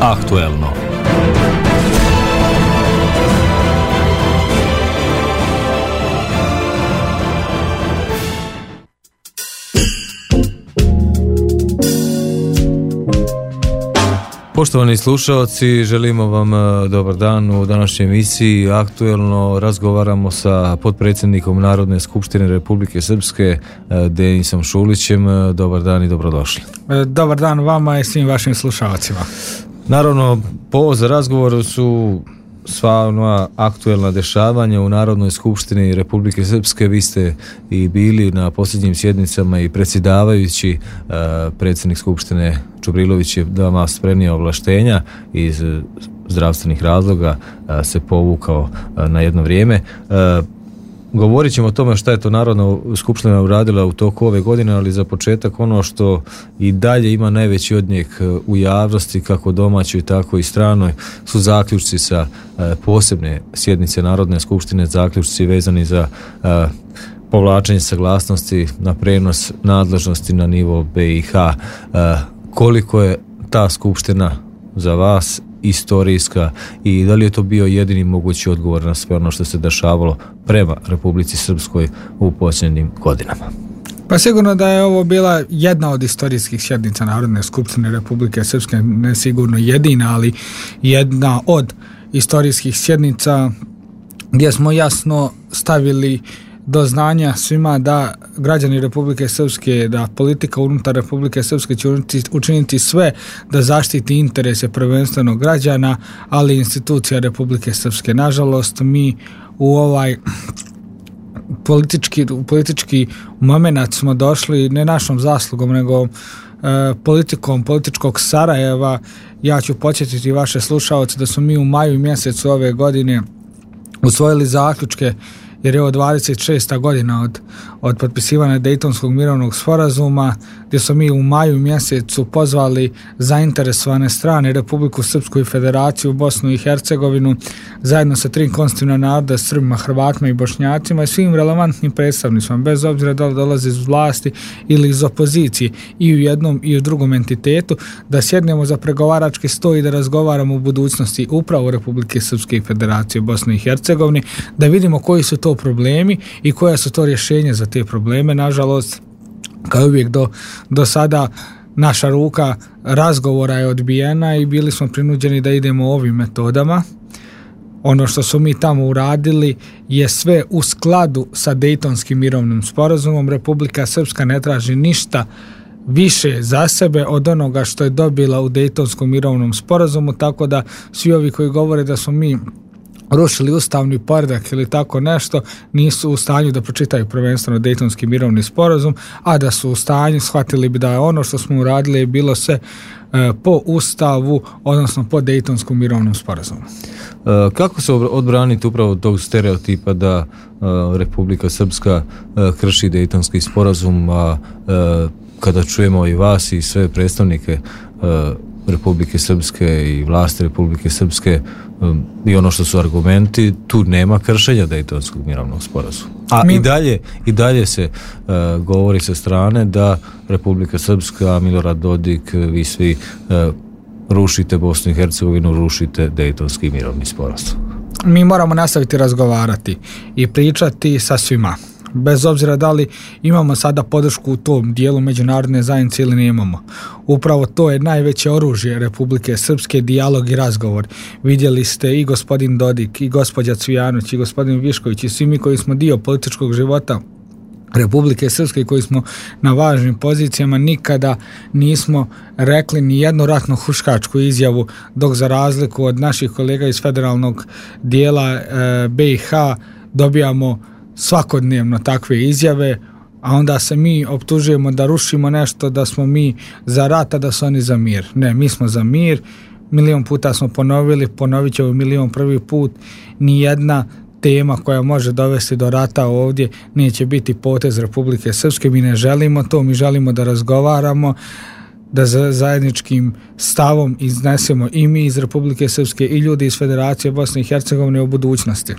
Aktuelno. Poštovani slušalci, želimo vam dobar dan u današnjoj emisiji Aktuelno. Razgovaramo sa potpredsjednikom Narodne skupštine Republike Srpske Denisom Šulićem. Dobar dan i dobrodošli. Dobar dan vama i svim vašim slušalcima. Naravno, povod za razgovor su sva ona aktuelna dešavanja u Narodnoj skupštini Republike Srpske. Vi ste i bili na posljednjim sjednicama i predsjedavajući. Predsjednik skupštine Čubrilović je da vam prenio ovlaštenja iz zdravstvenih razloga, se povukao na jedno vrijeme. Govorit ćemo o tome šta je to Narodna skupština uradila u toku ove godine, ali za početak ono što i dalje ima najveći odjek u javnosti, kako domaćoj tako i stranoj, su zaključci sa posebne sjednice Narodne skupštine, zaključci vezani za povlačenje saglasnosti na prenos nadležnosti na nivo BiH. Koliko je ta skupština za vas istorijska i da li je to bio jedini mogući odgovor na sve ono što se dešavalo prema Republici Srpskoj u posljednjim godinama? Pa sigurno da je ovo bila jedna od istorijskih sjednica Narodne skupštine Republike Srpske, ne sigurno jedina, ali jedna od istorijskih sjednica gdje smo jasno stavili do znanja svima da građani Republike Srpske, da politika unutar Republike Srpske će učiniti sve da zaštiti interese prvenstveno građana, ali i institucija Republike Srpske. Nažalost, mi u ovaj politički moment smo došli ne našom zaslugom, nego politikom političkog Sarajeva. Ja ću podsjetiti vaše slušaoce da smo mi u maju mjesecu ove godine usvojili zaključke, jer je ovo 26. godina od potpisivanja Dejtonskog mirovnog sporazuma, gdje smo mi u maju mjesecu pozvali zainteresovane strane, Republiku Srpsku i Federaciju, Bosnu i Hercegovinu, zajedno sa 3 konstitutivna naroda, Srbima, Hrvatima i Bošnjacima i svim relevantnim predstavnicima, bez obzira da li dolaze iz vlasti ili iz opozicije, i u jednom i u drugom entitetu, da sjednemo za pregovarački stol i da razgovaramo o budućnosti upravo Republike Srpske i Federacije Bosne i Hercegovine, da vidimo koji su to problemi i koja su to rješenja za te probleme. Nažalost, kao uvijek do sada, naša ruka razgovora je odbijena i bili smo prinuđeni da idemo ovim metodama. Ono što su mi tamo uradili je sve u skladu sa Dejtonskim mirovnim sporazumom. Republika Srpska ne traži ništa više za sebe od onoga što je dobila u Dejtonskom mirovnom sporazumu, tako da svi ovi koji govore da smo mi rušili ustavni poredak ili tako nešto, nisu u stanju da pročitaju prvenstveno Dejtonski mirovni sporazum, a da su u stanju, shvatili bi da je ono što smo uradili je bilo sve po ustavu, odnosno po Dejtonskom mirovnom sporazumu. Kako se odbraniti upravo od tog stereotipa da Republika Srpska krši Dejtonski sporazum, a kada čujemo i vas i sve predstavnike Republike Srpske i vlasti Republike Srpske i ono što su argumenti, tu nema kršenja Dejtonskog mirovnog sporazuma. A i dalje se govori sa strane da Republika Srpska, Milorad Dodik, vi svi rušite Bosnu i Hercegovinu, rušite Dejtonski mirovni sporazum. Mi moramo nastaviti razgovarati i pričati sa svima, bez obzira da li imamo sada podršku u tom dijelu međunarodne zajednice ili nemamo. Upravo to je najveće oružje Republike Srpske, dijalog i razgovor. Vidjeli ste i gospodin Dodik, i gospođa Cvijanović, i gospodin Višković, i svi mi koji smo dio političkog života Republike Srpske, koji smo na važnim pozicijama, nikada nismo rekli ni jednu ratno huškačku izjavu, dok za razliku od naših kolega iz federalnog dijela BiH dobijamo svakodnevno takve izjave, a onda se mi optužujemo da rušimo nešto, da smo mi za rat, a da su oni za mir. Ne, mi smo za mir, milion puta smo ponovit ćemo milion prvi put, nijedna tema koja može dovesti do rata ovdje neće biti potez Republike Srpske. Mi ne želimo to, mi želimo da razgovaramo, da zajedničkim stavom iznesemo i mi iz Republike Srpske i ljudi iz Federacije Bosne i Hercegovine o budućnosti.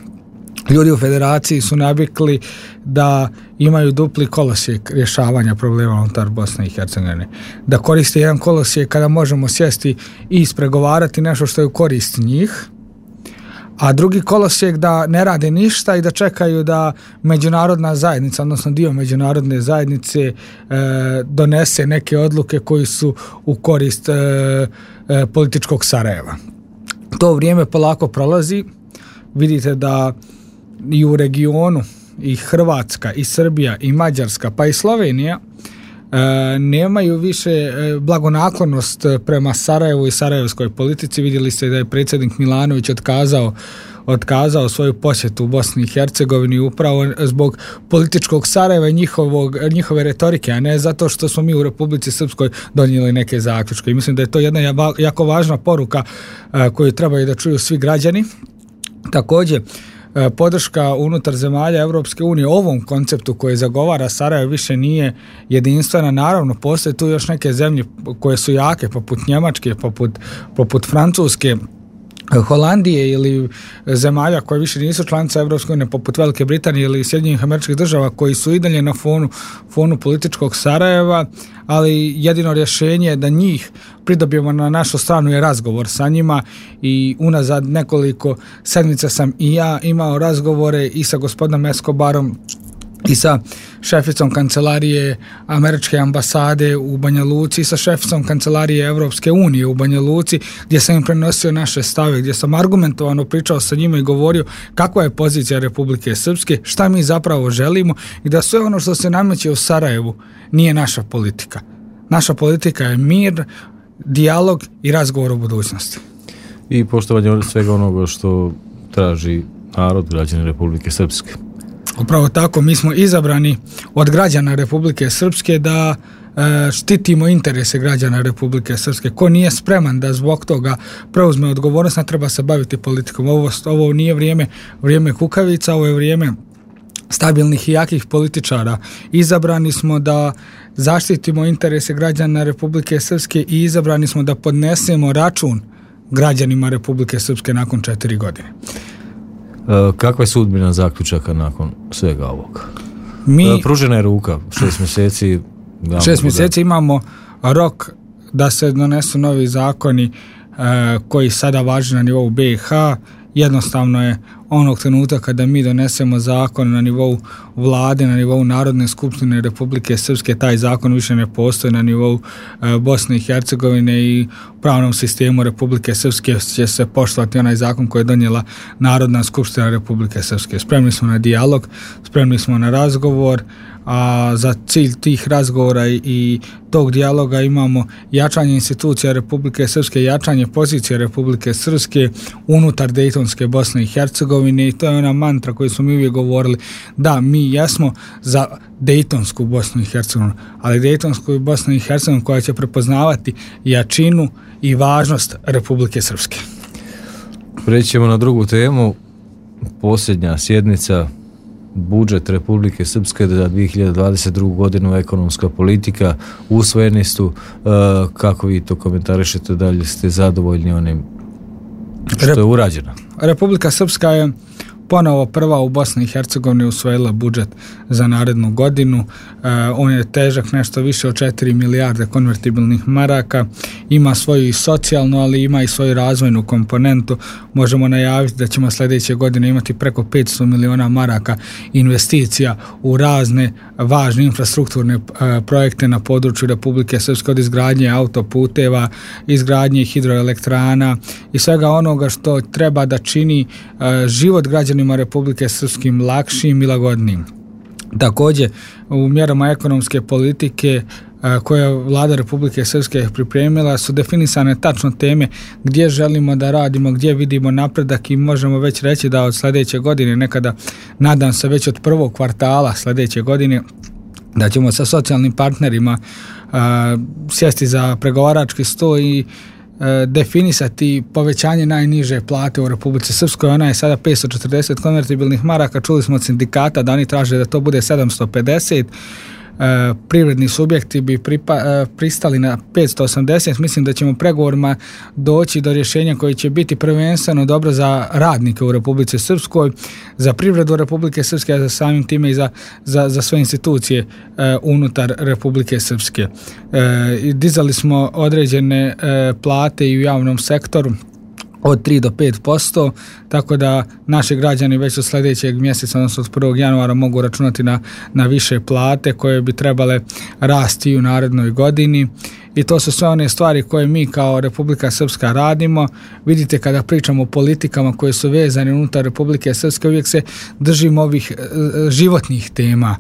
ljudi u federaciji su navikli da imaju dupli kolosijek rješavanja problema unutar Bosne i Hercegovine. Da koriste jedan kolosijek kada možemo sjesti i ispregovarati nešto što je u korist njih, a drugi kolosijek da ne rade ništa i da čekaju da međunarodna zajednica, odnosno dio međunarodne zajednice donese neke odluke koji su u korist političkog Sarajeva. To vrijeme polako prolazi. Vidite da i u regionu i Hrvatska i Srbija i Mađarska pa i Slovenija nemaju više blagonaklonost prema Sarajevu i sarajevskoj politici. Vidjeli ste da je predsjednik Milanović otkazao svoju posjetu u Bosni i Hercegovini upravo zbog političkog Sarajeva i njihove retorike, a ne zato što smo mi u Republici Srpskoj donijeli neke zaključke. I mislim da je to jedna jako važna poruka koju trebaju da čuju svi građani. Također, podrška unutar zemalja Europske unije ovom konceptu koji zagovara Sarajevo više nije jedinstvena. Naravno, postoje tu još neke zemlje koje su jake, poput Njemačke, poput Francuske, Holandije ili zemalja koje više nisu članice Europske unije, poput Velike Britanije ili Sjedinjenih Američkih Država, koji su i dalje na fonu političkog Sarajeva, ali jedino rješenje da njih pridobijemo na našu stranu je razgovor sa njima. I unazad nekoliko sedmica sam i ja imao razgovore i sa gospodinom Escobarom i sa šeficom kancelarije Američke ambasade u Banja Luci i sa šeficom kancelarije Europske unije u Banja Luci, gdje sam im prenosio naše stave, gdje sam argumentovano pričao sa njima i govorio kakva je pozicija Republike Srpske, šta mi zapravo želimo i da sve ono što se nameće u Sarajevu nije naša politika. Naša politika je mir, dijalog i razgovor o budućnosti. I poštovanje svega onoga što traži narod, građani Republike Srpske. Upravo tako, mi smo izabrani od građana Republike Srpske da štitimo interese građana Republike Srpske. Ko nije spreman da zbog toga preuzme odgovornost, ne treba se baviti politikom. Ovo nije vrijeme kukavica, ovo je vrijeme stabilnih i jakih političara. Izabrani smo da zaštitimo interese građana Republike Srpske i izabrani smo da podnesemo račun građanima Republike Srpske nakon 4 godine. Kakva je sudbina zaključaka nakon svega ovoga? Pružena je ruka, 6 mjeseci. 6 mjeseci imamo rok da se donesu novi zakoni koji sada važe na nivou BiH. Jednostavno je onog trenutka kada mi donesemo zakon na nivou vlade, na nivou Narodne skupštine Republike Srpske, taj zakon više ne postoji na nivou Bosne i Hercegovine i u pravnom sistemu Republike Srpske će se poštovati onaj zakon koji je donijela Narodna skupština Republike Srpske. Spremni smo na dijalog, spremni smo na razgovor, a za cilj tih razgovora i tog dijaloga imamo jačanje institucija Republike Srpske, jačanje pozicije Republike Srpske unutar Dejtonske Bosne i Hercegovine, i to je ona mantra koju smo mi uvijek govorili, da mi jesmo za Dejtonsku Bosnu i Hercegovinu, ali Dejtonsku Bosnu i Hercegovinu koja će prepoznavati jačinu i važnost Republike Srpske. Prećemo na drugu temu, posljednja sjednica, budžet Republike Srpske za 2022. godinu, ekonomska politika, usvojeni su. Kako vi to komentarišete, da li ste zadovoljni onim što je urađeno? Republika Srpska je ponovo prva u Bosni i Hercegovini usvojila budžet za narednu godinu. On je težak nešto više od 4 milijarde konvertibilnih maraka. Ima svoju i socijalnu, ali ima i svoju razvojnu komponentu. Možemo najaviti da ćemo sljedeće godine imati preko 500 miliona maraka investicija u razne važne infrastrukturne projekte na području Republike Srpske, od izgradnje autoputeva, izgradnje hidroelektrana i svega onoga što treba da čini život građanima Republike Srpskim lakšim i lagodnijim. Također, u mjerama ekonomske politike koje je vlada Republike Srpske pripremila su definisane tačno teme gdje želimo da radimo, gdje vidimo napredak i možemo već reći da od sljedeće godine, nekada nadam se već od prvog kvartala sljedeće godine, da ćemo sa socijalnim partnerima sjesti za pregovarački stol i definisati povećanje najniže plate u Republici Srpskoj. Ona je sada 540 konvertibilnih maraka. Čuli smo od sindikata da oni traže da to bude 750. privredni subjekti bi pristali na 580. Mislim da ćemo pregovorima doći do rješenja koje će biti prvenstveno dobro za radnike u Republici Srpskoj, za privredu Republike Srpske, a za samim time i za sve institucije unutar Republike Srpske. Dizali smo određene plate i u javnom sektoru od 3 do 5%, tako da naši građani već od sljedećeg mjeseca, odnosno od 1. januara mogu računati na više plate koje bi trebale rasti u narednoj godini. I to su sve one stvari koje mi kao Republika Srpska radimo. Vidite, kada pričamo o politikama koje su vezane unutar Republike Srpske, uvijek se držimo ovih životnih tema.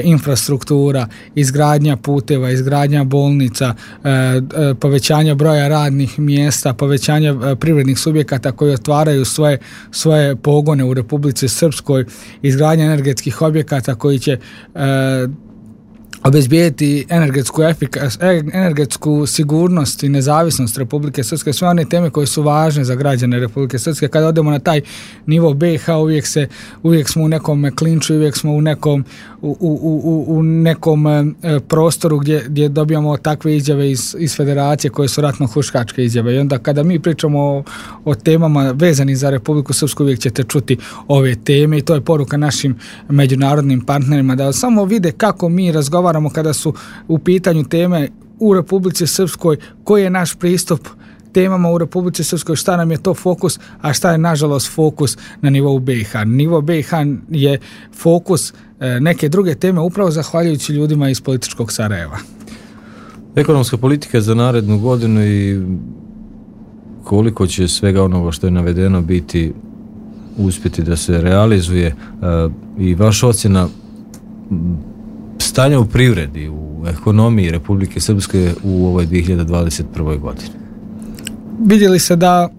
Infrastruktura, izgradnja puteva, izgradnja bolnica, povećanje broja radnih mjesta, povećanje privrednih subjekata koji otvaraju svoje pogone u Republici Srpskoj, izgradnja energetskih objekata koji će obezbijeti energetsku sigurnost i nezavisnost Republike Srpske, sve one teme koje su važne za građane Republike Srpske. Kada odemo na taj nivo BiH, uvijek smo u nekom klinču, uvijek smo u nekom prostoru gdje dobijamo takve izjave iz federacije koje su ratno-huškačke izjave. I onda kada mi pričamo o temama vezanih za Republiku Srpsku, uvijek ćete čuti ove teme i to je poruka našim međunarodnim partnerima da samo vide kako mi razgovaramo kada su u pitanju teme u Republici Srpskoj, koji je naš pristup temama u Republici Srpskoj, šta nam je to fokus, a šta je nažalost fokus na nivou BiH. Nivo BiH je fokus neke druge teme upravo zahvaljujući ljudima iz političkog Sarajeva. Ekonomska politika za narednu godinu i koliko će svega onoga što je navedeno biti uspjeti da se realizuje i vaša ocjena stanja u privredi, u ekonomiji Republike Srpske u ovoj 2021. godini? Vidjeli se da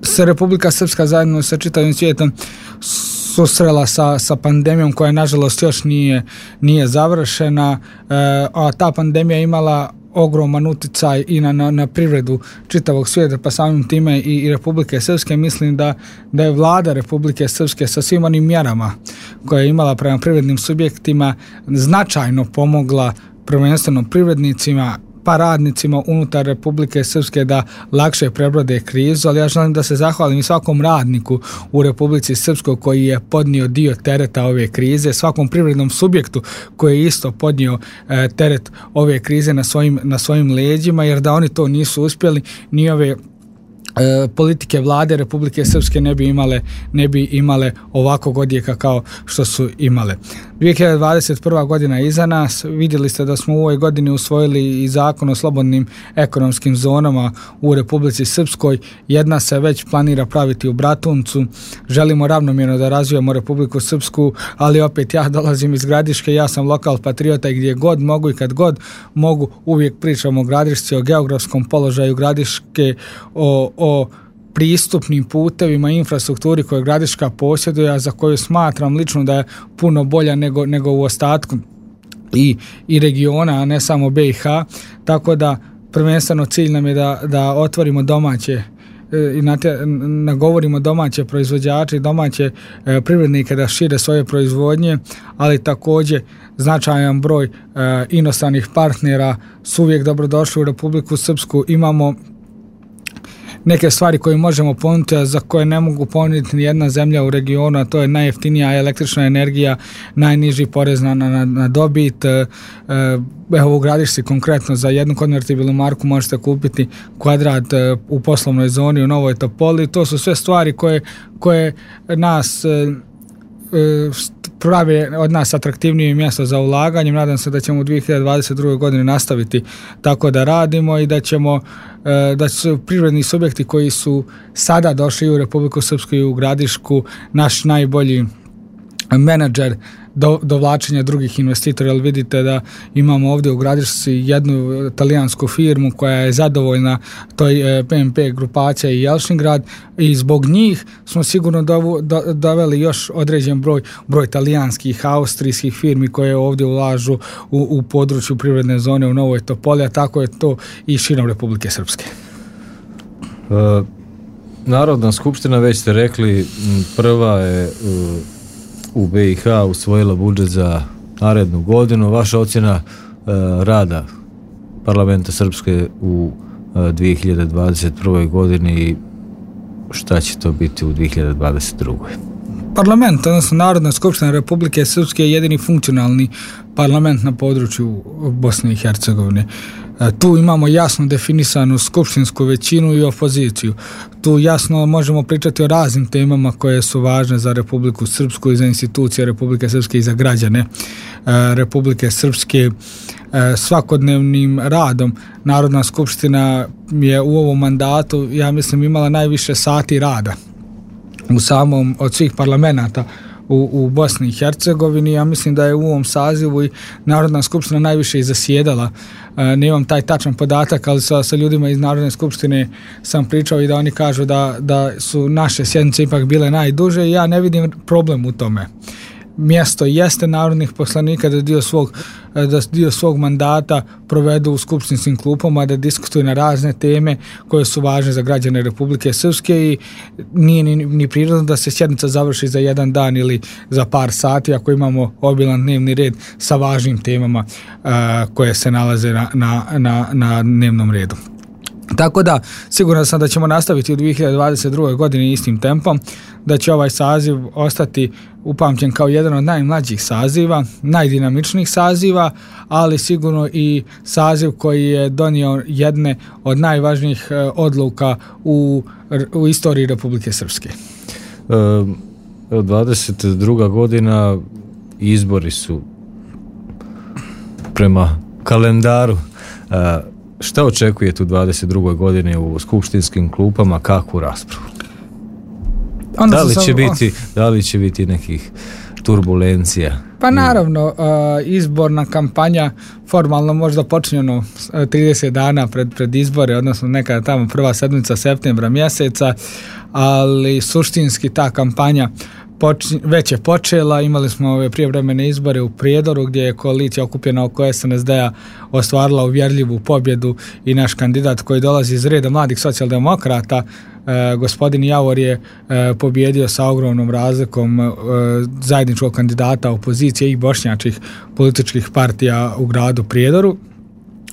se Republika Srpska zajedno sa čitavim svijetom susrela sa pandemijom koja nažalost još nije završena, a ta pandemija imala ogroman utjecaj i na privredu čitavog svijeta, pa samim time i Republike Srpske. Mislim da je vlada Republike Srpske sa svim onim mjerama koje je imala prema privrednim subjektima značajno pomogla prvenstveno privrednicima pa radnicima unutar Republike Srpske da lakše prebrode krizu, ali ja želim da se zahvalim i svakom radniku u Republici Srpskoj koji je podnio dio tereta ove krize, svakom privrednom subjektu koji je isto podnio teret ove krize na svojim leđima, jer da oni to nisu uspjeli, ni ove politike vlade Republike Srpske ne bi imale ovakvog odjeka kao što su imale. 2021. godina je iza nas. Vidjeli ste da smo u ovoj godini usvojili i zakon o slobodnim ekonomskim zonama u Republici Srpskoj. Jedna se već planira praviti u Bratuncu. Želimo ravnomjerno da razvijamo Republiku Srpsku, ali opet ja dolazim iz Gradiške, ja sam lokal patriota i gdje god mogu i kad god mogu uvijek pričam o Gradišci, o geografskom položaju Gradiške, o pristupnim putevima i infrastrukturi koju Gradiška posjeduje, a za koju smatram lično da je puno bolja nego u ostatku i regiona, a ne samo BiH. Tako da prvenstveno cilj nam je da otvorimo domaće i nagovorimo domaće proizvođače i domaće privrednike da šire svoje proizvodnje, ali također značajan broj inostranih partnera su uvijek dobrodošli u Republiku Srpsku. Imamo neke stvari koje možemo ponuditi, a za koje ne mogu ponuditi ni jedna zemlja u regionu, a to je najjeftinija električna energija, najniži porez na dobit. Evo u Gradišci konkretno za jednu konvertibilnu marku možete kupiti kvadrat u poslovnoj zoni u Novoj Topoli. To su sve stvari koje nas prave od nas atraktivnije mjesto za ulaganje. Nadam se da ćemo u 2022. godini nastaviti tako da radimo i da su privredni subjekti koji su sada došli u Republiku Srpsku i u Gradišku naš najbolji menadžer dovlačenja drugih investitora, jer vidite da imamo ovdje u Gradišci jednu talijansku firmu koja je zadovoljna toj PMP grupacija i Jelšingrad i zbog njih smo sigurno doveli još određen broj talijanskih, austrijskih firmi koje ovdje ulažu u području privredne zone u Novoj Topoli, a tako je to i širom Republike Srpske. Narodna skupština, već ste rekli, prva je u BiH usvojila budžet za narednu godinu. Vaša ocjena rada Parlamenta Srpske u 2021. godini i šta će to biti u 2022. Parlament, odnosno Narodna skupština Republike Srpske je jedini funkcionalni parlament na području Bosne i Hercegovine. Tu imamo jasno definisanu skupštinsku većinu i opoziciju. Tu jasno možemo pričati o raznim temama koje su važne za Republiku Srpsku i za institucije Republike Srpske i za građane Republike Srpske. Svakodnevnim radom Narodna skupština je u ovom mandatu, ja mislim, imala najviše sati rada u samom od svih parlamenta u Bosni i Hercegovini. Ja mislim da je u ovom sazivu i Narodna skupština najviše i zasjedala. Nemam taj tačan podatak, ali sa ljudima iz Narodne skupštine sam pričao i da oni kažu da su naše sjednice ipak bile najduže i ja ne vidim problem u tome. Mjesto jeste narodnih poslanika da dio svog mandata provedu u skupštinskim klupama, da diskutuju na razne teme koje su važne za građane Republike Srpske i nije ni prirodno da se sjednica završi za jedan dan ili za par sati ako imamo obilan dnevni red sa važnim temama koje se nalaze na dnevnom redu. Tako da, siguran sam da ćemo nastaviti u 2022. godini istim tempom, da će ovaj saziv ostati upamćen kao jedan od najmlađih saziva, najdinamičnijih saziva, ali sigurno i saziv koji je donio jedne od najvažnijih odluka u istoriji Republike Srpske. 22. godina, izbori su prema kalendaru. Šta očekujete u 22. godini u skupštinskim klupama, kakvu raspravu? Da li će biti nekih turbulencija? Pa naravno, izborna kampanja formalno možda počinjeno 30 dana pred izbore, odnosno nekada tamo prva sedmica septembra mjeseca, ali suštinski ta kampanja već je počela. Imali smo ove prijevremene izbore u Prijedoru gdje je koalicija okupljena oko SNSD-a ostvarila uvjerljivu pobjedu i naš kandidat koji dolazi iz reda mladih socijaldemokrata, gospodin Javor, je pobjedio sa ogromnom razlikom zajedničkog kandidata opozicije i bošnjačkih političkih partija u gradu Prijedoru.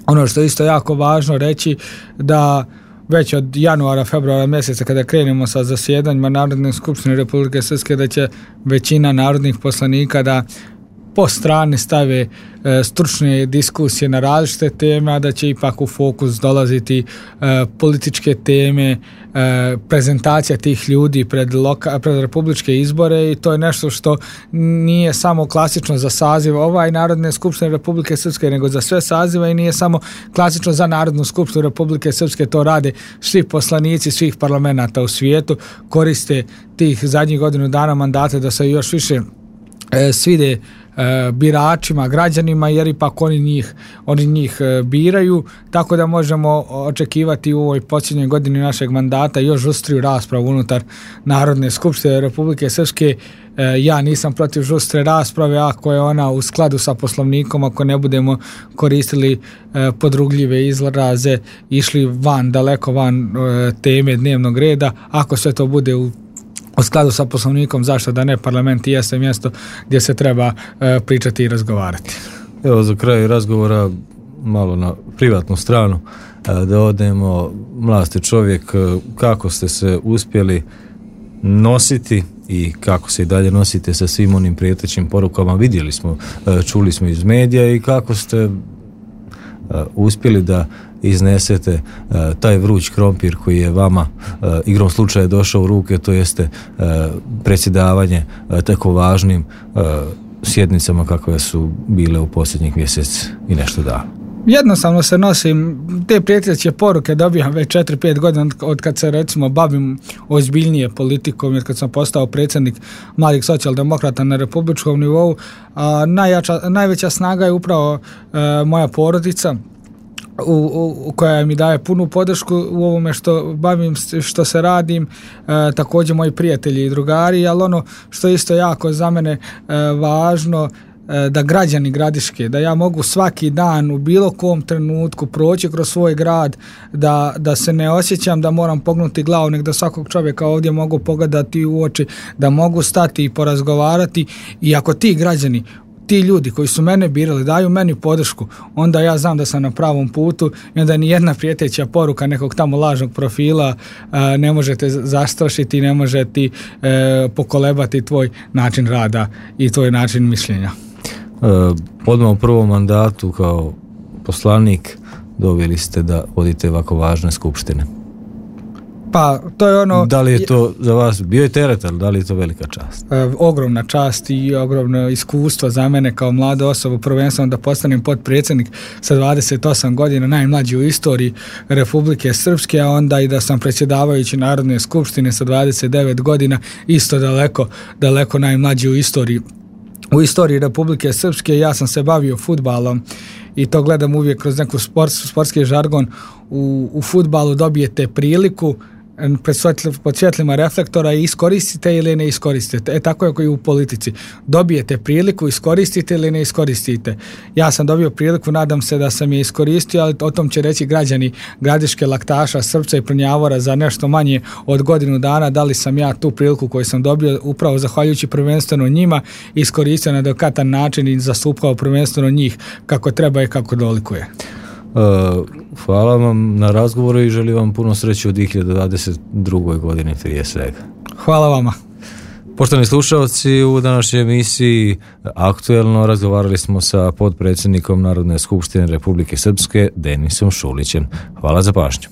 Ono što je isto jako važno reći, da već od januara, februara mjeseca kada krenemo sa zasjedanjima Narodne skupštine Republike Srpske, da će većina narodnih poslanika da po strani stave stručne diskusije na različite teme, a da će ipak u fokus dolaziti političke teme, prezentacija tih ljudi pred republičke izbore, i to je nešto što nije samo klasično za saziv ovaj Narodne skupštine Republike Srpske, nego za sve sazive, i nije samo klasično za Narodnu skupštinu Republike Srpske. To rade svi poslanici svih parlamenta u svijetu, koriste tih zadnjih godinu dana mandata da se još više svide biračima, građanima, jer ipak oni njih biraju, tako da možemo očekivati u ovoj posljednjoj godini našeg mandata još žustriju raspravu unutar Narodne skupštine Republike Srpske. Ja nisam protiv žustre rasprave ako je ona u skladu sa Poslovnikom, ako ne budemo koristili podrugljive izraze, išli daleko van teme dnevnog reda. Ako sve to bude u skladu sa Poslovnikom, zašto da ne? Parlament jeste mjesto gdje se treba pričati i razgovarati. Evo, za kraj razgovora malo na privatnu stranu da odemo. Mlad ste čovjek, kako ste se uspjeli nositi i kako se i dalje nosite sa svim onim prijetećim porukama? Vidjeli smo, čuli smo iz medija, i kako ste uspjeli da iznesete taj vruć krompir koji je vama igrom slučaja došao u ruke, to jeste predsjedavanje tako važnim sjednicama kakve su bile u posljednjih mjesec i nešto dana. Jednostavno se nosim, te prijeteće poruke dobijam već 4-5 godina od kad se recimo bavim ozbiljnije politikom, jer kad sam postao predsjednik mladih socijaldemokrata na republičkom nivou, najveća snaga je upravo moja porodica, koja mi daje punu podršku u ovome što bavim, što se radim, također moji prijatelji i drugari, ali ono što je isto jako za mene važno, da građani Gradiške, da ja mogu svaki dan u bilo kom trenutku proći kroz svoj grad, da se ne osjećam da moram pognuti glavu, nego da svakog čovjeka ovdje mogu pogledati u oči, da mogu stati i porazgovarati. I ako ti građani ti ljudi koji su mene birali daju meni podršku, onda ja znam da sam na pravom putu i onda ni jedna prijeteća poruka nekog tamo lažnog profila ne može te zastrašiti, ne može ti pokolebati tvoj način rada i tvoj način mišljenja. Odmah u prvom mandatu kao poslanik dobili ste da vodite ovako važne skupštine. Pa to je ono... Da li je to za vas bio je teret, ali da li je to velika čast? Ogromna čast i ogromno iskustvo za mene kao mlada osoba, prvenstveno da postanem potpredsjednik sa 28 godina, najmlađi u istoriji Republike Srpske, a onda i da sam predsjedavajući Narodne skupštine sa 29 godina, isto daleko najmlađi u istoriji Republike Srpske. Ja sam se bavio fudbalom i to gledam uvijek kroz neku sportski žargon. U fudbalu dobijete priliku pod svjetlima reflektora i iskoristite ili ne iskoristite. Tako je i u politici. Dobijete priliku, iskoristite ili ne iskoristite. Ja sam dobio priliku, nadam se da sam je iskoristio, ali o tom će reći građani Gradiške, Laktaša, Srpca i Prnjavora za nešto manje od godinu dana, da li sam ja tu priliku koju sam dobio upravo zahvaljujući prvenstveno njima iskoristio na adekvatan način i zastupao prvenstveno njih kako treba i kako dolikuje. Hvala vam na razgovoru i želim vam puno sreće u 2022. godini prije svega. Hvala vama. Poštovani slušalci, u današnjoj emisiji Aktuelno razgovarali smo sa potpredsjednikom Narodne skupštine Republike Srpske Denisom Šulićem. Hvala za pažnju.